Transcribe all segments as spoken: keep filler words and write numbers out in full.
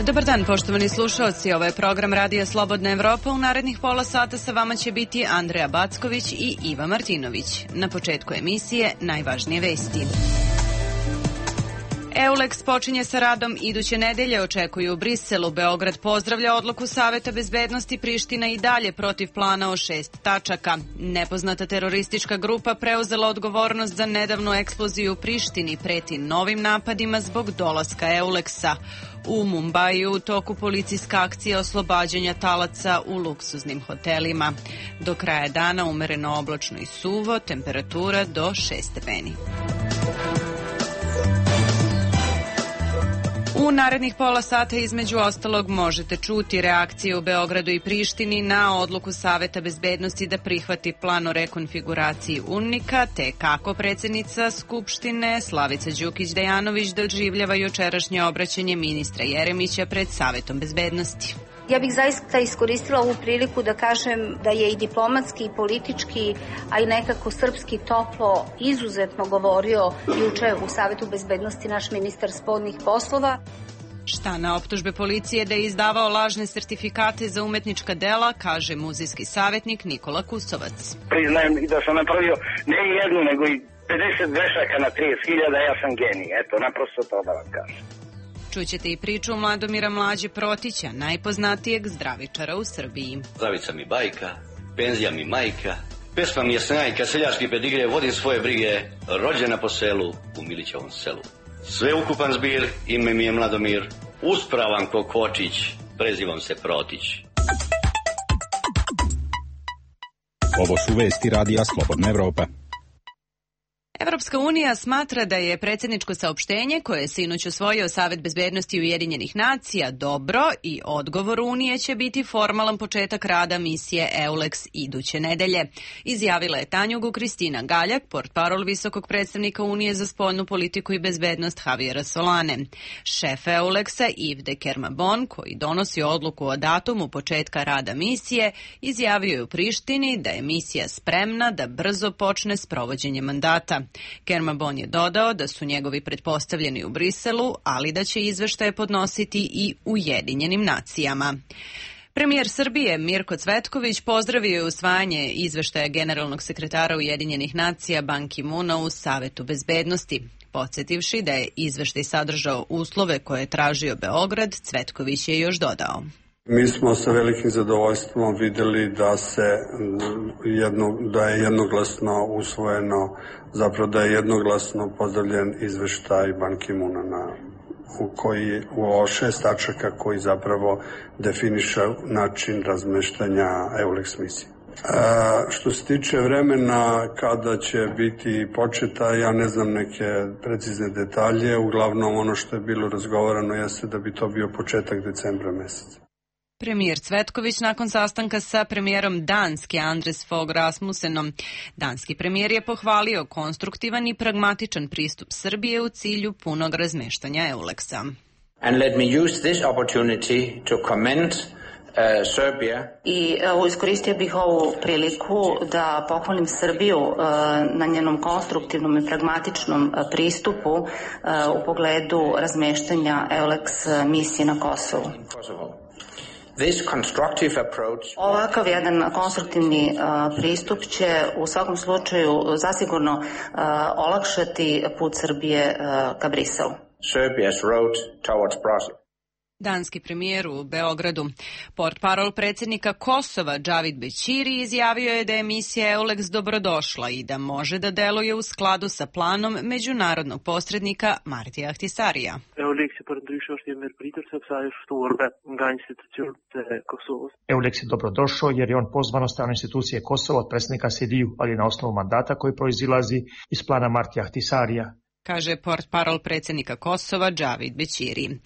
Dobar dan, poštovani slušaoci. Ovo je program Radija Slobodna Evropa. U narednih pola sata sa vama će biti Andreja Backović i Iva Martinović. Na početku emisije najvažnije vesti. Eulex počinje sa radom iduće nedelje, očekuju u Briselu. Beograd pozdravlja odluku Saveta bezbednosti, Priština i dalje protiv plana o šest tačaka. Nepoznata teroristička grupa preuzela odgovornost za nedavnu eksploziju u Prištini, preti novim napadima zbog dolaska Eulexa. U Mumbaiju u toku policijska akcija oslobađanja talaca u luksuznim hotelima. Do kraja dana umereno oblačno i suvo, temperatura do šest stepeni. U narednih pola sata između ostalog možete čuti reakcije u Beogradu i Prištini na odluku Saveta bezbednosti da prihvati plan o rekonfiguraciji UNMIK-a, te kako predsjednica Skupštine Slavica Đukić-Dejanović doživljava jučerašnje obraćanje ministra Jeremića pred Savetom bezbednosti. Ja bih zaista iskoristila ovu priliku da kažem da je i diplomatski i politički, a i nekako srpski toplo izuzetno govorio juče u Savetu bezbednosti naš ministar spoljnih poslova. Šta na optužbe policije da je izdavao lažne sertifikate za umetnička dela, kaže muzejski savjetnik Nikola Kusovac. Priznajem i da sam napravio ne jednu, nego i pedeset grešaka na trideset hiljada, ja sam genij. Eto, naprosto to da vam kažem. Čućete i priču Mladomira Mlađe Protića, najpoznatijeg zdravičara u Srbiji. Zdravica mi bajka, penzija mi majka, pesma mi je snajka, seljački pedigre, vodim svoje brige, rođena po selu, u Milićevom selu. Sveukupan zbir, ime mi je Mladomir, uspravan ko kočić, prezivam se Protić. Ovo su vesti Radija Slobodna Evropa. Evropska unija smatra da je predsjedničko saopštenje koje je sinoć usvojio Savet bezbednosti Ujedinjenih nacija dobro i odgovor Unije će biti formalan početak rada misije Eulex iduće nedelje. Izjavila je Tanjugu Kristina Galjak, portparol visokog predstavnika Unije za spoljnu politiku i bezbednost Javiera Solane. Šef Eulexa Yves de Kermabon, koji donosi odluku o datumu početka rada misije, izjavio je u Prištini da je misija spremna da brzo počne s provođenjem mandata. Kermabon je dodao da su njegovi pretpostavljeni u Briselu, ali da će izveštaje podnositi i Ujedinjenim nacijama. Premijer Srbije Mirko Cvetković pozdravio je usvajanje izveštaja generalnog sekretara Ujedinjenih nacija Ban Ki-moona u Savetu bezbednosti. Podsjetivši da je izveštaj sadržao uslove koje je tražio Beograd, Cvetković je još dodao. Mi smo sa velikim zadovoljstvom vidjeli da se jedno, da je jednoglasno usvojeno, zapravo da je jednoglasno pozdravljen izveštaj Ban Ki-moona na u koji u šest tačaka koji zapravo definiše način razmeštanja Eulex misije. A, što se tiče vremena kada će biti početa, ja ne znam neke precizne detalje, uglavnom ono što je bilo razgovarano jeste da bi to bio početak decembra meseca. Premijer Cvetković nakon sastanka sa premijerom Danske Anders Fogh Rasmussenom. Danski premijer je pohvalio konstruktivan i pragmatičan pristup Srbije u cilju punog razmeštanja Eulexa. And let me use this opportunity to commend uh, Serbia. I uh, iskoristio bih ovu priliku da pohvalim Srbiju uh, na njenom konstruktivnom i pragmatičnom uh, pristupu uh, u pogledu razmeštanja Eulex misije na Kosovu. This constructive approach... Ovakav jedan konstruktivni uh, pristup će u svakom slučaju zasigurno uh, olakšati put Srbije uh, ka Briselu. Serbia's road towards Brussels. Danski premijer u Beogradu. Portparol predsjednika Kosova Džavid Bećiri izjavio je da je misija Eulex dobrodošla i da može da deluje u skladu sa planom međunarodnog posrednika Martija Ahtisarija. Eulex je dobrodošao jer je on pozvan od strane institucije Kosova od predsjednika Sidiju, ali na osnovu mandata koji proizilazi iz plana Martija Ahtisarija, kaže portparol predsjednika Kosova Džavid Bećiri.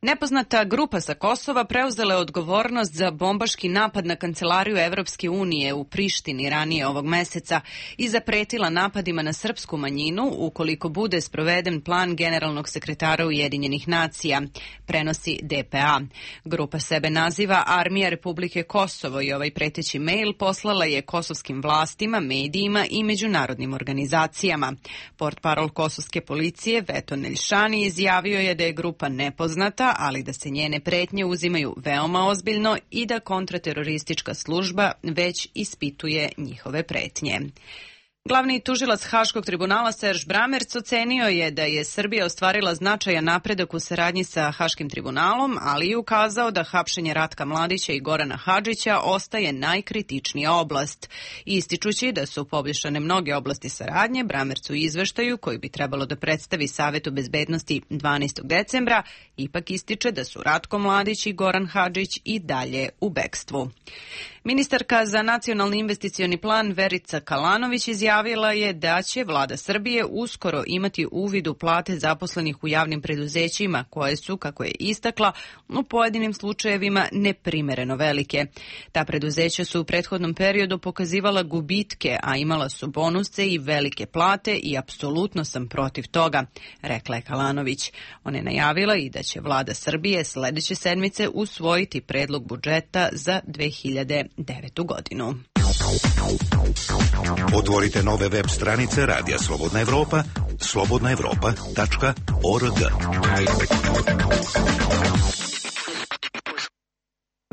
Nepoznata grupa sa Kosova preuzela je odgovornost za bombaški napad na kancelariju Evropske unije u Prištini ranije ovog meseca i zapretila napadima na srpsku manjinu ukoliko bude sproveden plan generalnog sekretara Ujedinjenih nacija, prenosi D P A. Grupa sebe naziva Armija Republike Kosovo i ovaj preteći mail poslala je kosovskim vlastima, medijima i međunarodnim organizacijama. Portparol kosovske policije Veto Neljšani izjavio je da je grupa nepoznata, država, ali da se njene pretnje uzimaju veoma ozbiljno i da kontrateroristička služba već ispituje njihove pretnje. Glavni tužilac Haškog tribunala Serž Bramerc ocenio je da je Srbija ostvarila značajan napredak u saradnji sa Haškim tribunalom, ali i ukazao da hapšenje Ratka Mladića i Gorana Hadžića ostaje najkritičnija oblast. Ističući da su poboljšane mnoge oblasti saradnje, Bramerc u izveštaju, koji bi trebalo da predstavi Savetu bezbednosti dvanaestog decembra, ipak ističe da su Ratko Mladić i Goran Hadžić i dalje u bekstvu. Ministarka za nacionalni investicioni plan Verica Kalanović izjavila je da će vlada Srbije uskoro imati uvid u plate zaposlenih u javnim preduzećima koje su, kako je istakla, u pojedinim slučajevima neprimereno velike. Ta preduzeća su u prethodnom periodu pokazivala gubitke, a imala su bonuse i velike plate i apsolutno sam protiv toga, rekla je Kalanović. Ona je najavila i da će vlada Srbije sledeće sedmice usvojiti predlog budžeta za dve hiljade devetu godinu. Otvorite nove web stranice Radija Slobodna Evropa, slobodna evropa tačka org.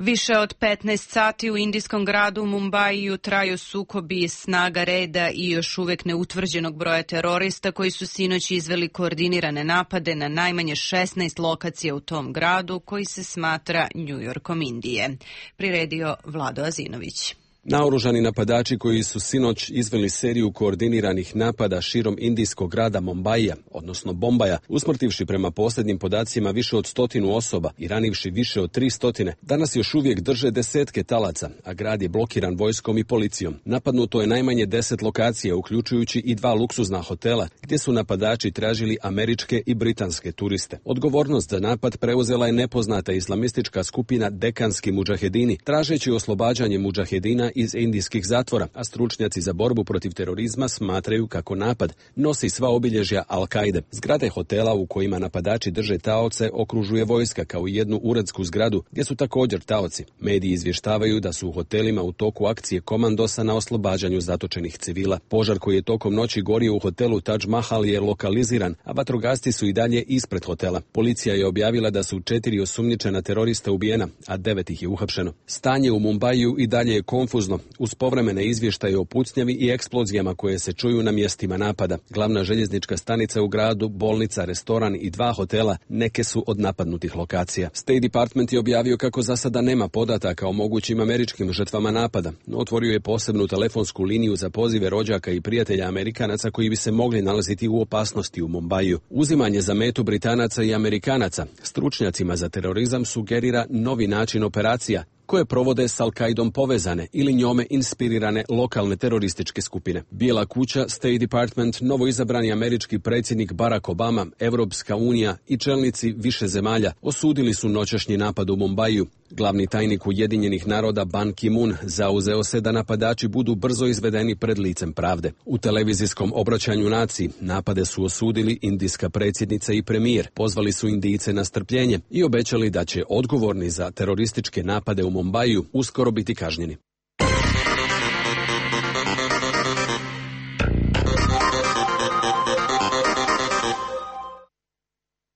Više od petnaest sati u indijskom gradu Mumbaiju traju sukobi snaga reda i još uvek neutvrđenog broja terorista koji su sinoć izveli koordinirane napade na najmanje šesnaest lokacija u tom gradu koji se smatra Njujorkom Indije. Priredio Vlado Azinović. Naoružani napadači koji su sinoć izveli seriju koordiniranih napada širom indijskog grada Mumbaija, odnosno Bombaja, usmrtivši prema posljednjim podacima više od stotinu osoba i ranivši više od tri stotine, danas još uvijek drže desetke talaca, a grad je blokiran vojskom i policijom. Napadnuto je najmanje deset lokacija, uključujući i dva luksuzna hotela, gdje su napadači tražili američke i britanske turiste. Odgovornost za napad preuzela je nepoznata islamistička skupina Dekanski mudžahedini, tražeći oslobađanje mudžahedina iz indijskih zatvora, a stručnjaci za borbu protiv terorizma smatraju kako napad nosi sva obilježja Al-Kaide. Zgrade hotela u kojima napadači drže taoce okružuje vojska kao i jednu uredsku zgradu gdje su također taoci. Mediji izvještavaju da su u hotelima u toku akcije komandosa na oslobađanju zatočenih civila. Požar koji je tokom noći gorio u hotelu Taj Mahal je lokaliziran, a vatrogasci su i dalje ispred hotela. Policija je objavila da su četiri osumnjičena terorista ubijena, a devet ih je uhapšeno. Stanje u Mumbaju i dalje je konfuzno, uz povremene izvještaje o pucnjavi i eksplozijama koje se čuju na mjestima napada. Glavna željeznička stanica u gradu, bolnica, restoran i dva hotela neke su od napadnutih lokacija. State Department je objavio kako za sada nema podataka o mogućim američkim žrtvama napada, no otvorio je posebnu telefonsku liniju za pozive rođaka i prijatelja Amerikanaca koji bi se mogli nalaziti u opasnosti u Mumbaju. Uzimanje za metu Britanaca i Amerikanaca stručnjacima za terorizam sugerira novi način operacija koje provode s Al-Kaidom povezane ili njome inspirirane lokalne terorističke skupine. Bijela kuća, State Department, novoizabrani američki predsjednik Barack Obama, Evropska unija i čelnici više zemalja osudili su noćašnji napad u Mumbaju. Glavni tajnik Ujedinjenih naroda Ban Ki-moon zauzeo se da napadači budu brzo izvedeni pred licem pravde. U televizijskom obraćanju naciji napade su osudili indijska predsjednica i premijer, pozvali su Indijce na strpljenje i obećali da će odgovorni za terorističke napade u Mumbaju uskoro biti kažnjeni.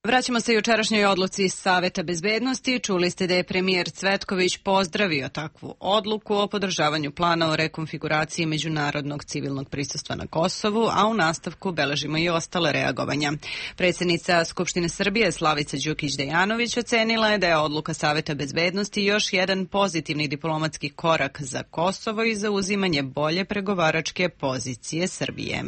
Vraćamo se jučerašnjoj odluci Saveta bezbednosti. Čuli ste da je premijer Cvetković pozdravio takvu odluku o podržavanju plana o rekonfiguraciji međunarodnog civilnog prisustva na Kosovu, a u nastavku beležimo i ostale reagovanja. Predsjednica Skupštine Srbije Slavica Đukić-Dejanović ocenila je da je odluka Saveta bezbednosti još jedan pozitivni diplomatski korak za Kosovo i za uzimanje bolje pregovaračke pozicije Srbije.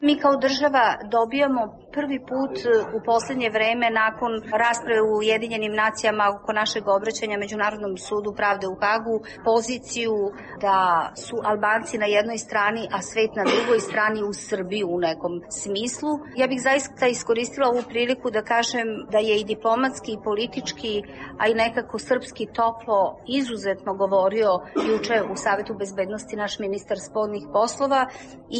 Mi kao država dobijamo prvi put u posljednje vreme nakon rasprave u Ujedinjenim nacijama oko našeg obraćanja Međunarodnom sudu pravde u Hagu poziciju da su Albanci na jednoj strani, a svet na drugoj strani u Srbiji u nekom smislu. Ja bih zaista iskoristila ovu priliku da kažem da je i diplomatski i politički, a i nekako srpski toplo izuzetno govorio juče u Savetu bezbednosti naš ministar spoljnih poslova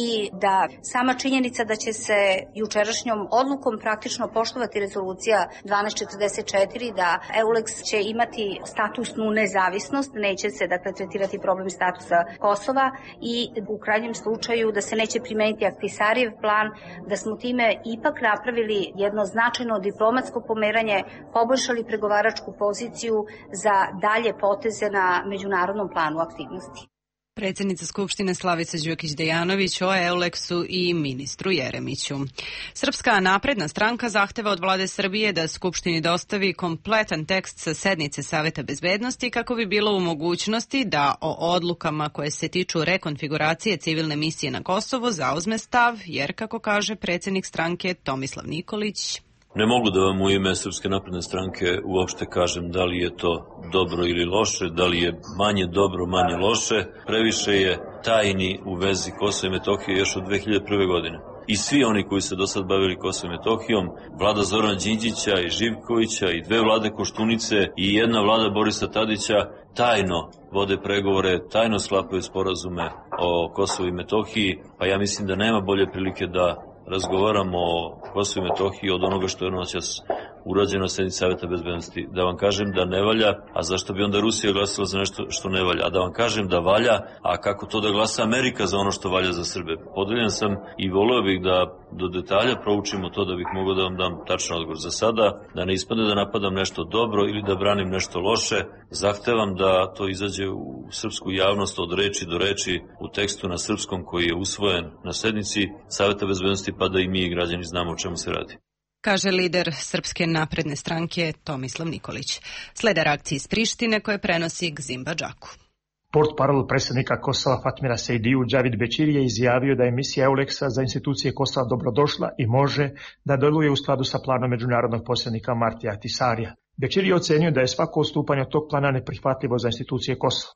i da sama činjenica činjenica da će se jučerašnjom odlukom praktično poštovati rezolucija dvanaest četrdeset četiri da EULEX će imati statusnu nezavisnost, neće se dakle tretirati problem statusa Kosova i u krajnjem slučaju da se neće primeniti Ahtisarijev plan, da smo time ipak napravili jedno značajno diplomatsko pomeranje, poboljšali pregovaračku poziciju za dalje poteze na međunarodnom planu aktivnosti. Predsjednica Skupštine Slavica Đukić-Dejanović o EULEX-u i ministru Jeremiću. Srpska napredna stranka zahteva od vlade Srbije da Skupštini dostavi kompletan tekst sa sednice Saveta bezbednosti kako bi bilo u mogućnosti da o odlukama koje se tiču rekonfiguracije civilne misije na Kosovu zauzme stav, jer, kako kaže predsjednik stranke Tomislav Nikolić, ne mogu da vam u ime Srpske napredne stranke uopšte kažem da li je to dobro ili loše, da li je manje dobro, manje loše. Previše je tajni u vezi Kosova i Metohije još od dve hiljade prve. godine. I svi oni koji se do sad bavili Kosovom i Metohijom, vlada Zorana Đinđića i Živkovića i dve vlade Koštunice i jedna vlada Borisa Tadića tajno vode pregovore, tajno sklapaju sporazume o Kosovu i Metohiji, pa ja mislim da nema bolje prilike da razgovaramo o Kosovu i Metohiji od onoga što je noćas urađeno na sednici Saveta bezbednosti. Da vam kažem da ne valja, a zašto bi onda Rusija glasala za nešto što ne valja? A da vam kažem da valja, a kako to da glasa Amerika za ono što valja za Srbe? Podeljen sam i voleo bih da do detalja proučimo to da bih mogao da vam dam tačan odgovor. Za sada, da ne ispadne da napadam nešto dobro ili da branim nešto loše, zahtevam da to izađe u srpsku javnost od reči do reči u tekstu na srpskom koji je usvojen na sednici Saveta bezbednosti, pa da i mi i građani znamo o čemu se radi, kaže lider Srpske napredne stranke Tomislav Nikolić. Slede reakcije iz Prištine koje prenosi Gzimba Džaku. Portparol predsjednika Kosova Fatmira Sejdiju Džavid Bećiri je izjavio da je misija EULEX-a za institucije Kosova dobrodošla i može da deluje u skladu sa planom međunarodnog posrednika Martija Ahtisarija. Bećiri je ocenio da je svako odstupanje od tog plana neprihvatljivo za institucije Kosova.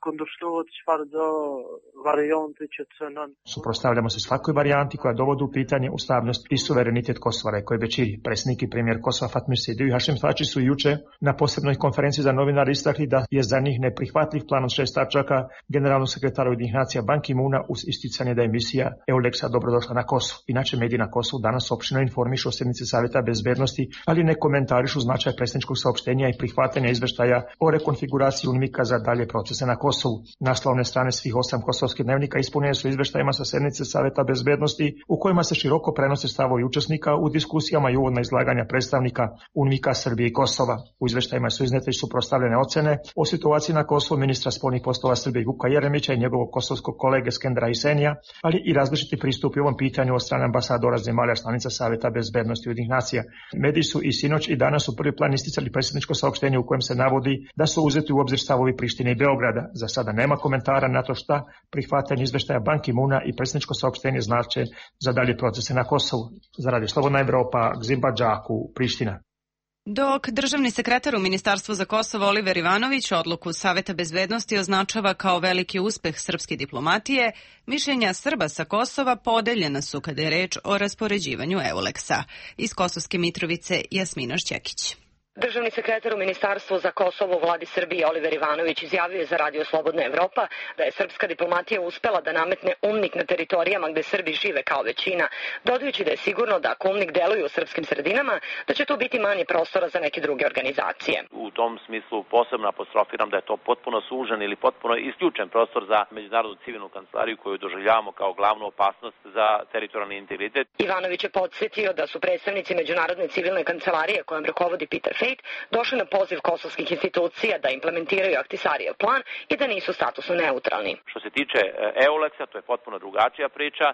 Suprotstavljamo se svakoj varijanti koja dovodi u pitanje ustavnost i suverenitet Kosova, rekao je Bećiri. Predsjednik i premijer Kosova Fatmir Sejdiju i Hašim Tači su juče na posebnoj konferenciji za novinare istakli da je za njih neprihvatljiv plan od šest tačaka generalnog sekretara Ujedinjenih nacija Ban Ki-moona uz isticanje da je misija EULEX-a dobrodošla na Kosovo. Inače, mediji na Kosovu danas opširno informišu o sednici Saveta bezbednosti, ali ne komentarišu značaj predsjedničkog saopštenja i prihvatanja izveštaja o rekonfiguraciji UNMIK-a za dalje procese na Kosovu. Naslovne strane svih osam kosovskih dnevnika ispunjene su izveštajima sa sednice Saveta bezbednosti u kojima se široko prenose stavovi učesnika u diskusijama i uvodna izlaganja predstavnika UNMIK-a Srbije i Kosova. U izveštajima su iznete i suprotstavljene ocene o situaciji na Kosovu ministra spoljnih poslova Srbije Vuka Jeremića i njegovog kosovskog kolege Skendera Hisenija, ali i različiti pristupi ovom pitanju od strane ambasadora zemalja članica Saveta bezbednosti Ujedinjenih nacija. Mediji su i sinoć i danas u prvi plan isticali predsjedničko saopštenje u kojem se navodi da su uzeti u obzir stavovi Prištine i Beograda. Za sada nema komentara na to šta prihvatanje izveštaja Ban Ki-moona i predsjedničko saopštenje znače za dalje procese na Kosovu. Za Radio Slobodna Evropa, Gzimba Džaku, Priština. Dok državni sekretar u Ministarstvu za Kosovo Oliver Ivanović odluku Saveta bezbednosti označava kao veliki uspeh srpske diplomatije, mišljenja Srba sa Kosova podeljena su kada je reč o raspoređivanju EULEX-a. Iz Kosovske Mitrovice Jasmina Šćekić. Državni sekretar u Ministarstvu za Kosovo u vladi Srbije Oliver Ivanović izjavio je za Radio Slobodna Evropa da je srpska diplomatija uspela da nametne UNMIK na teritorijama gde Srbi žive kao većina, dodajući da je sigurno da ako UNMIK deluje u srpskim sredinama, da će tu biti manje prostora za neke druge organizacije. U tom smislu posebno apostrofiram da je to potpuno sužen ili potpuno isključen prostor za međunarodnu civilnu kancelariju koju doživljavamo kao glavnu opasnost za teritorijalni integritet. Ivanović je podsjetio da su predstavnici međunarodne civilne kancelarije kojom rukovodi Peter Fejt došli na poziv kosovskih institucija da implementiraju Ahtisarijev plan i da nisu statusno neutralni. Što se tiče EULEX-a, to je potpuno drugačija priča.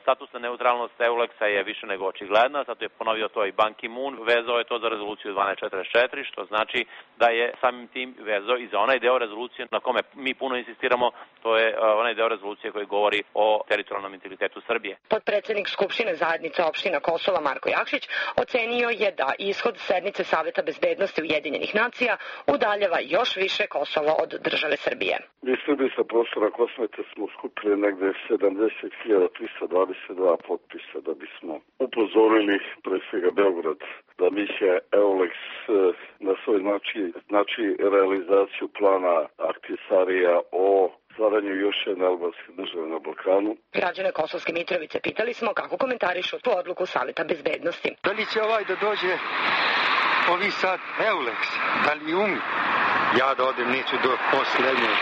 Statusna neutralnost EULEX-a je više nego očigledna, zato je ponovio to i Ban Ki-moon, vezao je to za rezoluciju dvanaest četrdeset četiri, što znači da je samim tim vezao i za onaj deo rezolucije na kome mi puno insistiramo, to je onaj deo rezolucije koji govori o teritorijalnom integritetu Srbije. Podpredsednik Skupštine zajednice opština Kosova Marko Jakšić ocenio je da ishod sednice Saveta bezbednosti Ujedinjenih nacija udaljava još više Kosovo od države Srbije. Mi Srbi sa prostora Kosmeta smo skupili negde sedamdeset hiljada trista dvadeset dva potpisa da bismo upozorili pre svega Beograd da misija EULEX na svoj znači, znači realizaciju plana Ahtisarija o stvaranju još jedne albanske države na Balkanu. Građane Kosovske Mitrovice pitali smo kako komentarišu tu odluku Saveta bezbednosti. Da li će ovaj da dođe ovi sad Euleks, da li umi? Ja da odem neću do posljednje.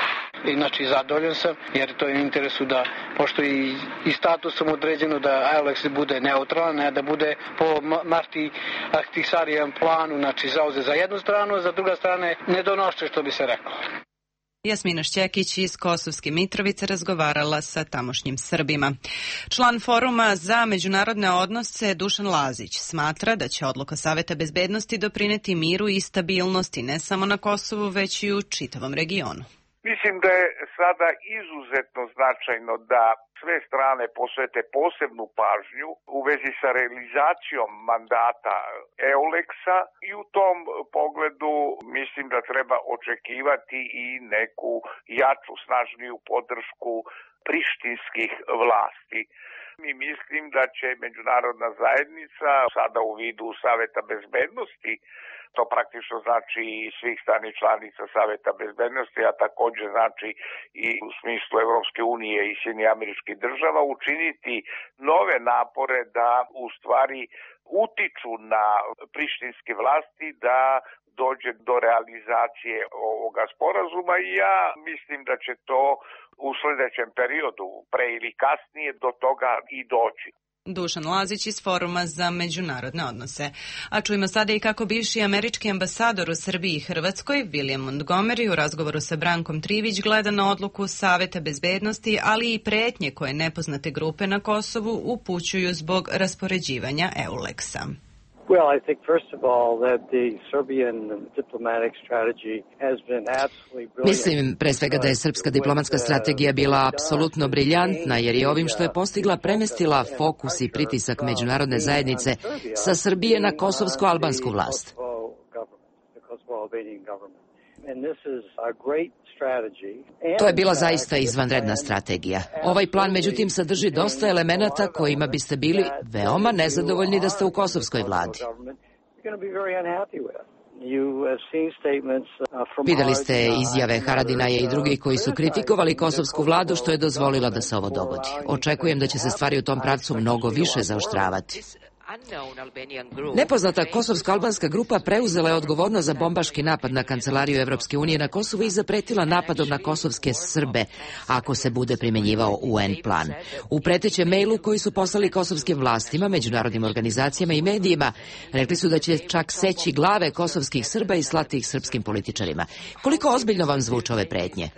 Znači zadovoljan sam jer to je u interesu da, pošto i, i statusom određeno da Euleks bude neutralan, ne da bude po Marti Ahtisarijan planu, znači zauze za jednu stranu, a za druga strane nedonošće, što bi se reklo. Jasmina Šćekić iz Kosovske Mitrovice razgovarala sa tamošnjim Srbima. Član Foruma za međunarodne odnose Dušan Lazić smatra da će odluka Saveta bezbednosti doprineti miru i stabilnosti ne samo na Kosovu, već i u čitavom regionu. Mislim da je sada izuzetno značajno da sve strane posvete posebnu pažnju u vezi sa realizacijom mandata Euleksa i u tom pogledu mislim da treba očekivati i neku jaču, snažniju podršku prištinskih vlasti. I mislim da će međunarodna zajednica sada u vidu Saveta bezbednosti, to praktično znači i svih stranih članica Saveta bezbednosti, a također znači i u smislu Evropske unije i Sjedinjenih Američkih Država, učiniti nove napore da u stvari utiču na prištinske vlasti da dođe do realizacije ovoga sporazuma i ja mislim da će to u sljedećem periodu, pre ili kasnije, do toga i doći. Dušan Lazić iz Foruma za međunarodne odnose. A čujemo sada i kako bivši američki ambasador u Srbiji i Hrvatskoj, William Montgomery, u razgovoru sa Brankom Trivić gleda na odluku Saveta bezbednosti, ali i pretnje koje nepoznate grupe na Kosovu upućuju zbog raspoređivanja Euleksa. Well, I think first of all that the Serbian diplomatic strategy has been absolutely brilliant. Mislim pre svega da je srpska diplomatska strategija bila apsolutno briljantna jer je ovim što je postigla premestila fokus i pritisak međunarodne zajednice sa Srbije na kosovsko-albansku vlast. To je bila zaista izvanredna strategija. Ovaj plan međutim sadrži dosta elemenata kojima biste bili veoma nezadovoljni da ste u kosovskoj vladi. Videli ste izjave Haradinaja i drugih koji su kritikovali kosovsku vladu što je dozvolila da se ovo dogodi. Očekujem da će se stvari u tom pravcu mnogo više zaoštravati. Nepoznata kosovsko-albanska grupa preuzela je odgovornost za bombaški napad na kancelariju Evropske unije na Kosovu i zapretila napadom na kosovske Srbe ako se bude primjenjivao U N plan. U pretećem mailu koji su poslali kosovskim vlastima, međunarodnim organizacijama i medijima, rekli su da će čak seći glave kosovskih Srba i slati ih srpskim političarima. Koliko ozbiljno vam zvuče ove pretnje?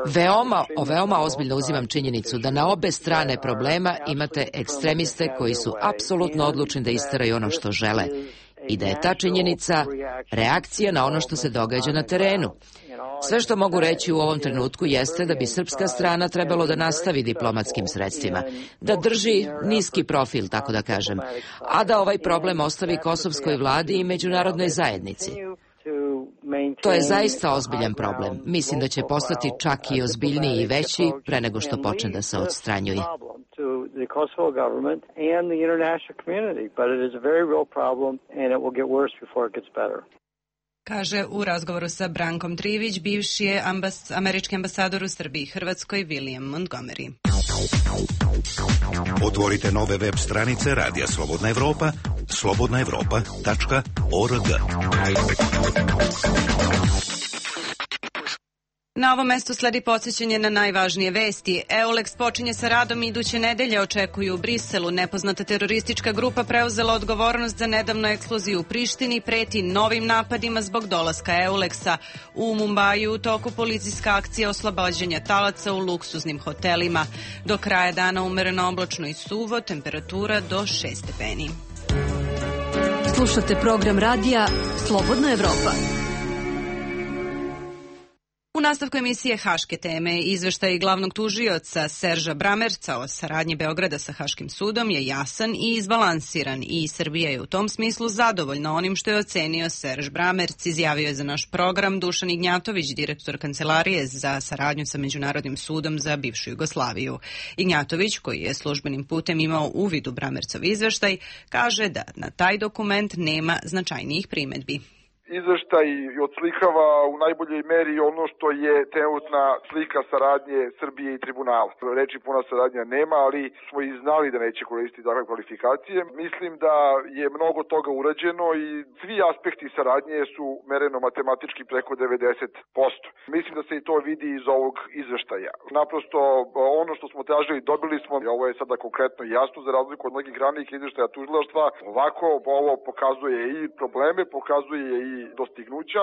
Veoma, veoma ozbiljno uzimam činjenicu da na obe strane problema imate ekstremiste koji su apsolutno odlučni da isteraju ono što žele i da je ta činjenica reakcija na ono što se događa na terenu. Sve što mogu reći u ovom trenutku jeste da bi srpska strana trebalo da nastavi diplomatskim sredstvima, da drži niski profil, tako da kažem, a da ovaj problem ostavi kosovskoj vladi i međunarodnoj zajednici. To je zaista ozbiljan problem. Mislim da će postati čak i ozbiljniji i veći pre nego što počne da se odstranjuje. Kaže u razgovoru sa Brankom Trivić bivši je ambas, američki ambasador u Srbiji i Hrvatskoj William Montgomery. Otvorite nove web stranice Radija Slobodna Evropa, slobodna evropa tačka org. Na ovom mestu sledi podsjećanje na najvažnije vesti. Euleks počinje sa radom iduće nedelje, očekuju u Briselu. Nepoznata teroristička grupa preuzela odgovornost za nedavnu eksploziju u Prištini, preti novim napadima zbog dolaska Euleksa. U Mumbaju u toku policijska akcija oslobađanja talaca u luksuznim hotelima. Do kraja dana umereno oblačno i suvo, temperatura do šest stepeni. Slušate program radija Slobodna Evropa. U nastavku emisije Haške teme, izveštaj glavnog tužioca Serža Bramerca o saradnji Beograda sa Haškim sudom je jasan i izbalansiran i Srbija je u tom smislu zadovoljna onim što je ocenio Serž Bramerc, izjavio je za naš program Dušan Ignjatović, direktor Kancelarije za saradnju sa Međunarodnim sudom za bivšu Jugoslaviju. Ignjatović, koji je službenim putem imao uvid u Bramercov izveštaj, kaže da na taj dokument nema značajnijih primedbi. Izveštaj odslikava u najboljoj meri ono što je trenutna slika saradnje Srbije i tribunala. Reči puna saradnja nema, ali smo i znali da neće koristiti takve kvalifikacije. Mislim da je mnogo toga urađeno i svi aspekti saradnje su mereno matematički preko devedeset posto. Mislim da se i to vidi iz ovog izveštaja. Naprosto ono što smo tražili dobili smo, ovo je sada konkretno jasno za razliku od mnogih ranijih izveštaja tužilaštva. Ovako ovo pokazuje i probleme, pokazuje i dostignuća.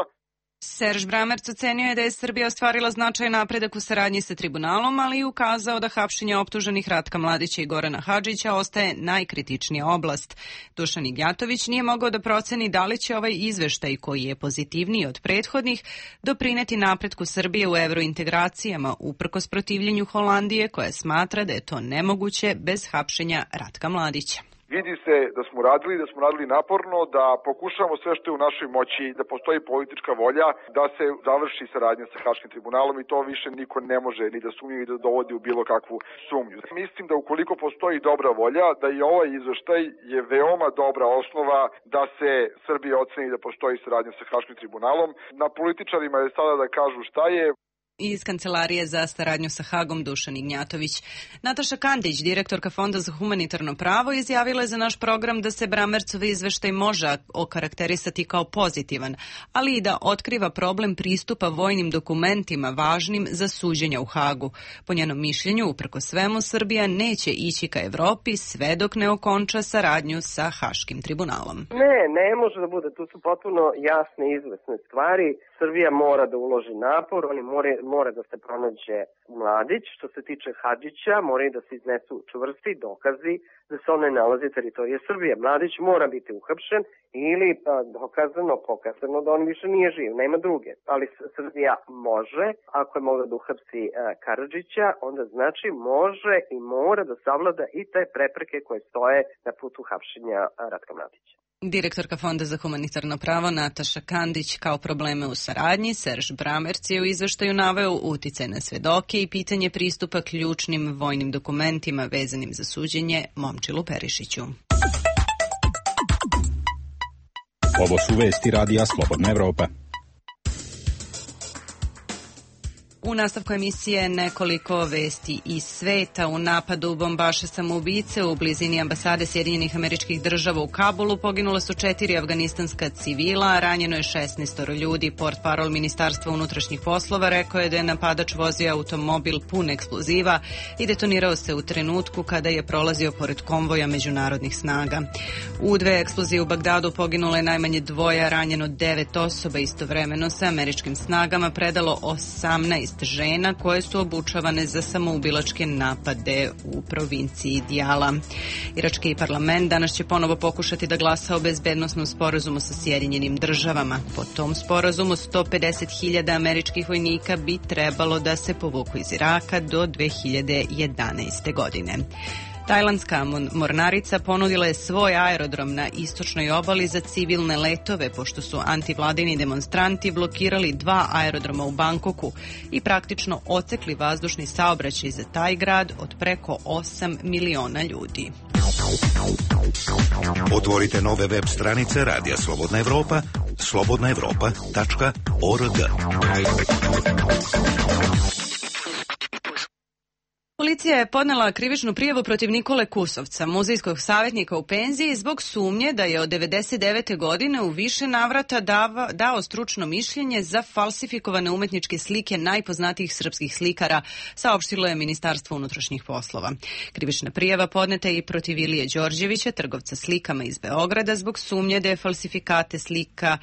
Serž Bramerc ocenio je da je Srbija ostvarila značajan napredak u saradnji sa tribunalom, ali i ukazao da hapšenje optuženih Ratka Mladića i Gorana Hadžića ostaje najkritičnija oblast. Dušan Ignjatović nije mogao da proceni da li će ovaj izveštaj, koji je pozitivniji od prethodnih, doprineti napretku Srbije u evrointegracijama, uprkos protivljenju Holandije, koja smatra da je to nemoguće bez hapšenja Ratka Mladića. Vidi se da smo radili, da smo radili naporno, da pokušamo sve što je u našoj moći, da postoji politička volja, da se završi saradnja sa Haškim tribunalom i to više niko ne može ni da sumnju i da dovodi u bilo kakvu sumnju. Mislim da ukoliko postoji dobra volja, da i ovaj izveštaj je veoma dobra osnova da se Srbija oceni da postoji saradnja sa Haškim tribunalom. Na političarima je sada da kažu šta je. Iz Kancelarije za saradnju sa Hagom Dušan Ignjatović. Nataša Kandić, direktorka Fonda za humanitarno pravo, izjavila je za naš program da se Bramercov izveštaj može okarakterisati kao pozitivan, ali i da otkriva problem pristupa vojnim dokumentima važnim za suđenja u Hagu. Po njenom mišljenju, uprko svemu, Srbija neće ići ka Evropi sve dok ne okonča saradnju sa Haškim tribunalom. Ne, ne može da bude. Tu su potpuno jasne i izvesne stvari. Srbija mora da uloži napor, oni more, mora da se pronađe Mladić. Što se tiče Hadžića, moraju da se iznesu čvrsti dokazi da se on ne nalazi teritorije Srbije. Mladić mora biti uhapšen ili a, dokazano, pokazano da on više nije živ, nema druge. Ali Srbija može, ako je mogla da uhapsi a, Karadžića, onda znači može i mora da savlada i te prepreke koje stoje na putu hapšenja Ratka Mladića. Direktorka Fonda za humanitarno pravo Nataša Kandić kao probleme u saradnji, Serž Bramerc je u izveštaju naveo uticaj na svedoke i pitanje pristupa ključnim vojnim dokumentima vezanim za suđenje Momčilu Perišiću. Ovo su vesti Radija Slobodna Evropa. U nastavku emisije nekoliko vesti iz sveta. U napadu bombaša samoubice u blizini ambasade Sjedinjenih Američkih Država u Kabulu poginula su četiri afganistanska civila, a ranjeno je šesnaest ljudi. Portparol Ministarstva unutrašnjih poslova rekao je da je napadač vozio automobil pun eksploziva i detonirao se u trenutku kada je prolazio pored konvoja međunarodnih snaga. U dve eksplozije u Bagdadu poginulo je najmanje dvoje, ranjeno devet osoba. Istovremeno se američkim snagama predalo osamnaest žena koje su obučavane za samoubilačke napade u provinciji Dijala. Irački parlament danas će ponovo pokušati da glasa o bezbednosnom sporazumu sa Sjedinjenim Državama. Po tom sporazumu sto pedeset hiljada američkih vojnika bi trebalo da se povuku iz Iraka do dve hiljade jedanaeste. godine. Tajlandska mornarica ponudila je svoj aerodrom na istočnoj obali za civilne letove, pošto su antivladini demonstranti blokirali dva aerodroma u Bangkoku i praktično ocekli vazdušni saobraćaj za taj grad od preko osam miliona ljudi. Otvorite nove web stranice Radija Slobodna Evropa, slobodna evropa tačka org. Policija je podnela krivičnu prijavu protiv Nikole Kusovca, muzejskog savjetnika u penziji, zbog sumnje da je od devedeset devete. godine u više navrata dava, dao stručno mišljenje za falsifikovane umetničke slike najpoznatijih srpskih slikara, saopštilo je Ministarstvo unutrašnjih poslova. Krivična prijava podneta je i protiv Ilije Đorđevića, trgovca slikama iz Beograda, zbog sumnje da je falsifikate slika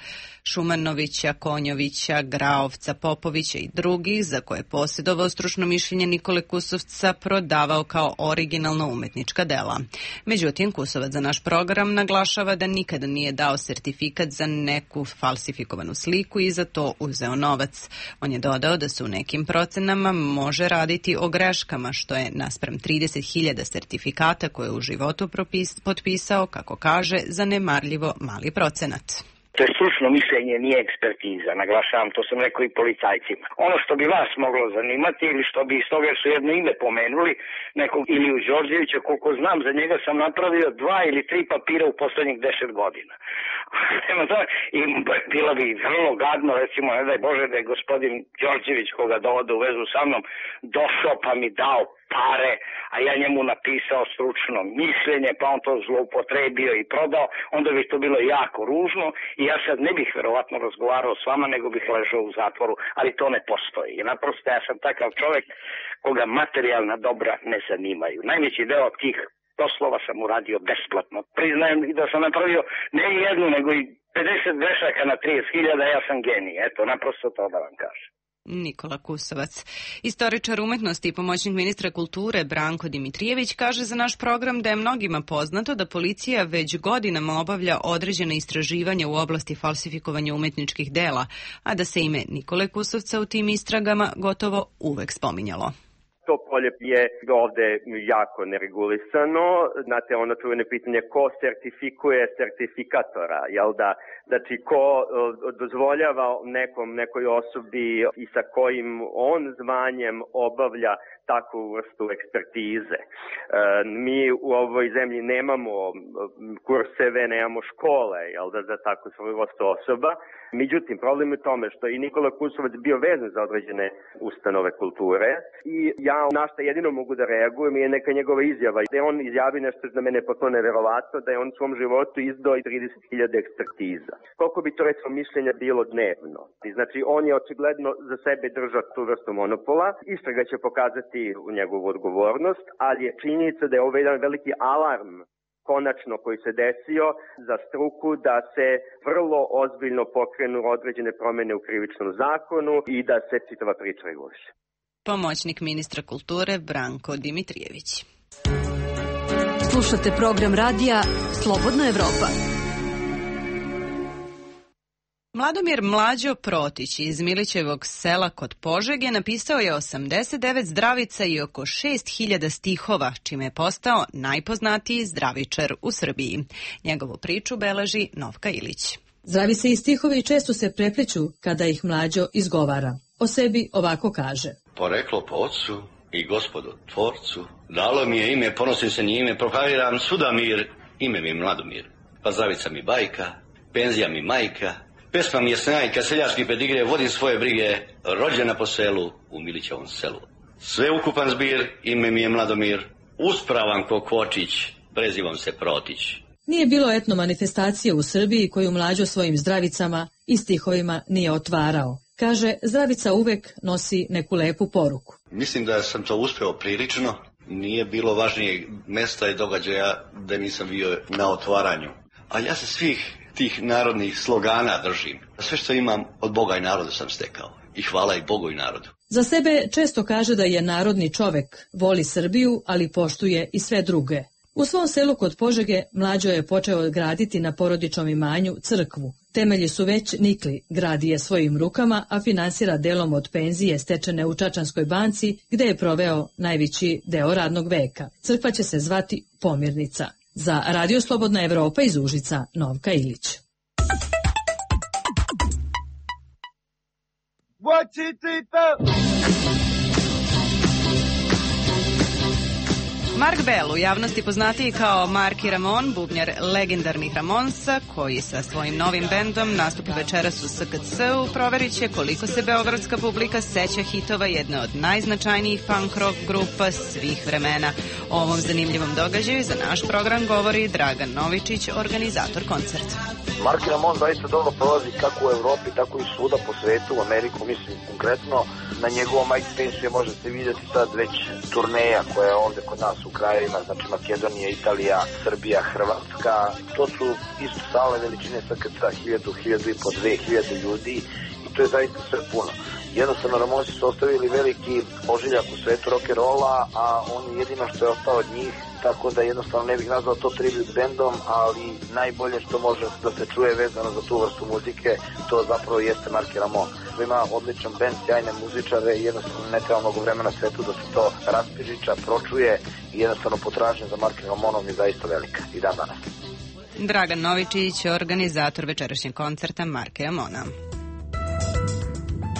Šumanovića, Konjovića, Graovca, Popovića i drugih, za koje je posjedovao stručno mišljenje Nikole Kusovca, prodavao kao originalno umetnička dela. Međutim, Kusovac za naš program naglašava da nikada nije dao sertifikat za neku falsifikovanu sliku i za to uzeo novac. On je dodao da se u nekim procenama može raditi o greškama, što je naspram trideset hiljada sertifikata koje je u životu propis, potpisao, kako kaže, zanemarljivo mali procenat. To je stručno mišljenje, nije ekspertiza, naglašavam, to sam rekao i policajcima. Ono što bi vas moglo zanimati ili što bi iz toga su jedno ime pomenuli, nekog Iliju Đorđevića, koliko znam, za njega sam napravio dva ili tri papira u poslednjih deset godina. I bilo bi vrlo gadno, recimo, ne daj Bože da je gospodin Đorđević, koga dovode u vezu sa mnom, došao pa mi dao pare, a ja njemu napisao stručno mišljenje, pa on to zloupotrebio i prodao, onda bi to bilo jako ružno i ja sad ne bih verovatno razgovarao s vama, nego bih ležao u zatvoru, ali to ne postoji. I naprosto ja sam takav čovjek koga materijalna dobra ne zanimaju. Najveći deo tih poslova sam uradio besplatno. Priznajem i da sam napravio ne jednu, nego i pedeset grešaka na trideset hiljada, ja sam genij. Eto, naprosto to da vam kažem. Nikola Kusovac. Istoričar umetnosti i pomoćnik ministra kulture Branko Dimitrijević kaže za naš program da je mnogima poznato da policija već godinama obavlja određene istraživanja u oblasti falsifikovanja umetničkih dela, a da se ime Nikole Kusovca u tim istragama gotovo uvek spominjalo. To polje je ovde jako neregulisano. Znate, ono čuveno pitanje ko sertifikuje sertifikatora, jel da? Znači, ko dozvoljava nekom, nekoj osobi i sa kojim on zvanjem obavlja takvu vrstu ekspertize. E, mi u ovoj zemlji nemamo kurseve, nemamo škole, jel da, za takvu svoju vrstu osoba. Međutim, problem je u tome što je i Nikola Kusovac bio vezan za određene ustanove kulture i ja na što jedino mogu da reagujem je neka njegova izjava. Da je on izjavi nešto za mene potpuno neverovatno, da je on u svom životu izdao i trideset hiljada ekspertiza. Koliko bi to recimo mišljenja bilo dnevno? Znači, on je očigledno za sebe držao tu vrstu monopola. Istraga će pokazati u njegovu odgovornost, ali je činjenica da je ovo jedan veliki alarm konačno koji se desio za struku da se vrlo ozbiljno pokrenu određene promene u krivičnom zakonu i da se čitava priča reguliše. Pomoćnik ministra kulture Branko Dimitrijević. Slušate program radija Slobodna Evropa. Mladomir Mlađo Protić iz Milićevog sela kod Požege napisao je osamdeset devet zdravica i oko šest hiljada stihova, čime je postao najpoznatiji zdravičar u Srbiji. Njegovu priču beleži Novka Ilić. Zdravice i stihovi često se prepliću kada ih Mlađo izgovara. O sebi ovako kaže. Poreklo po ocu i gospodu tvorcu, dalo mi je ime, ponosim se njime, proklamiram svuda mir, ime mi Mladomir. Pa zdravica mi bajka, penzija mi majka, pesma mi je snajka, seljački pedigre, vodim svoje brige, rođena po selu u Milićevom selu. Sve ukupan zbir, ime mi je Mladomir, uspravan ko Kvočić, prezivam se Protić. Nije bilo etno manifestacije u Srbiji koju Mlađo svojim zdravicama i stihovima nije otvarao. Kaže, zdravica uvek nosi neku lepu poruku. Mislim da sam to uspeo prilično, nije bilo važnijeg mesta i događaja da nisam bio na otvaranju. Ali ja se svih tih narodnih slogana držim. Sve što imam od Boga i naroda sam stekao. I hvala i Bogu i narodu. Za sebe često kaže da je narodni čovek, voli Srbiju, ali poštuje i sve druge. U svom selu kod Požege Mlađo je počeo graditi na porodičnom imanju crkvu. Temelji su već nikli, gradi je svojim rukama, a finansira delom od penzije stečene u Čačanskoj banci, gde je proveo najveći deo radnog veka. Crkva će se zvati Pomirnica. Za Radio Slobodna Evropa iz Užica, Novka Ilić. Mark Bell, u javnosti poznatiji kao Marky Ramone, bubnjar legendarnih Ramonsa, koji sa svojim novim bendom nastupa večeras u S K C-u, proverit će koliko se beogradska publika seća hitova jedne od najznačajnijih punk rock grupa svih vremena. O ovom zanimljivom događaju za naš program govori Dragan Novičić, organizator koncerta. Marky Ramone zaista dobro prolazi kako u Evropi, tako i svuda po svetu, u Ameriku, mislim konkretno. Na njegovom MySpace možete vidjeti sad već turneja koja je ovde kod nas u krajevima, znači Makedonija, Italija, Srbija, Hrvatska. To su isto sale veličine S K C-a, hiljadu, hiljadu i po dve hiljade ljudi i to je zaista sve puno. Jednostavno Ramonsi su ostavili veliki ožiljak u svetu rock'n'rolla, a on je jedino što je ostao od njih, tako da jednostavno ne bih nazvao to tribute bandom, ali najbolje što može da se čuje vezano za tu vrstu muzike, to zapravo jeste Marky Ramone. Ima odličan band, sjajne muzičare i jednostavno ne treba mnogo vremena svetu da se to raspižiča, pročuje i jednostavno potražnja za Marky Ramoneom je zaista velika i dan danas. Dragan Novičić, organizator večerašnjeg koncerta Marke Amona.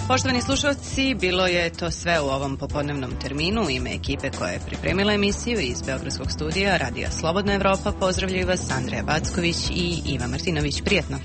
Poštovani slušalci, bilo je to sve u ovom popodnevnom terminu. U ime ekipe koja je pripremila emisiju iz Beogradskog studija Radija Slobodna Evropa pozdravljaju vas Andreja Backović i Iva Martinović. Prijetno!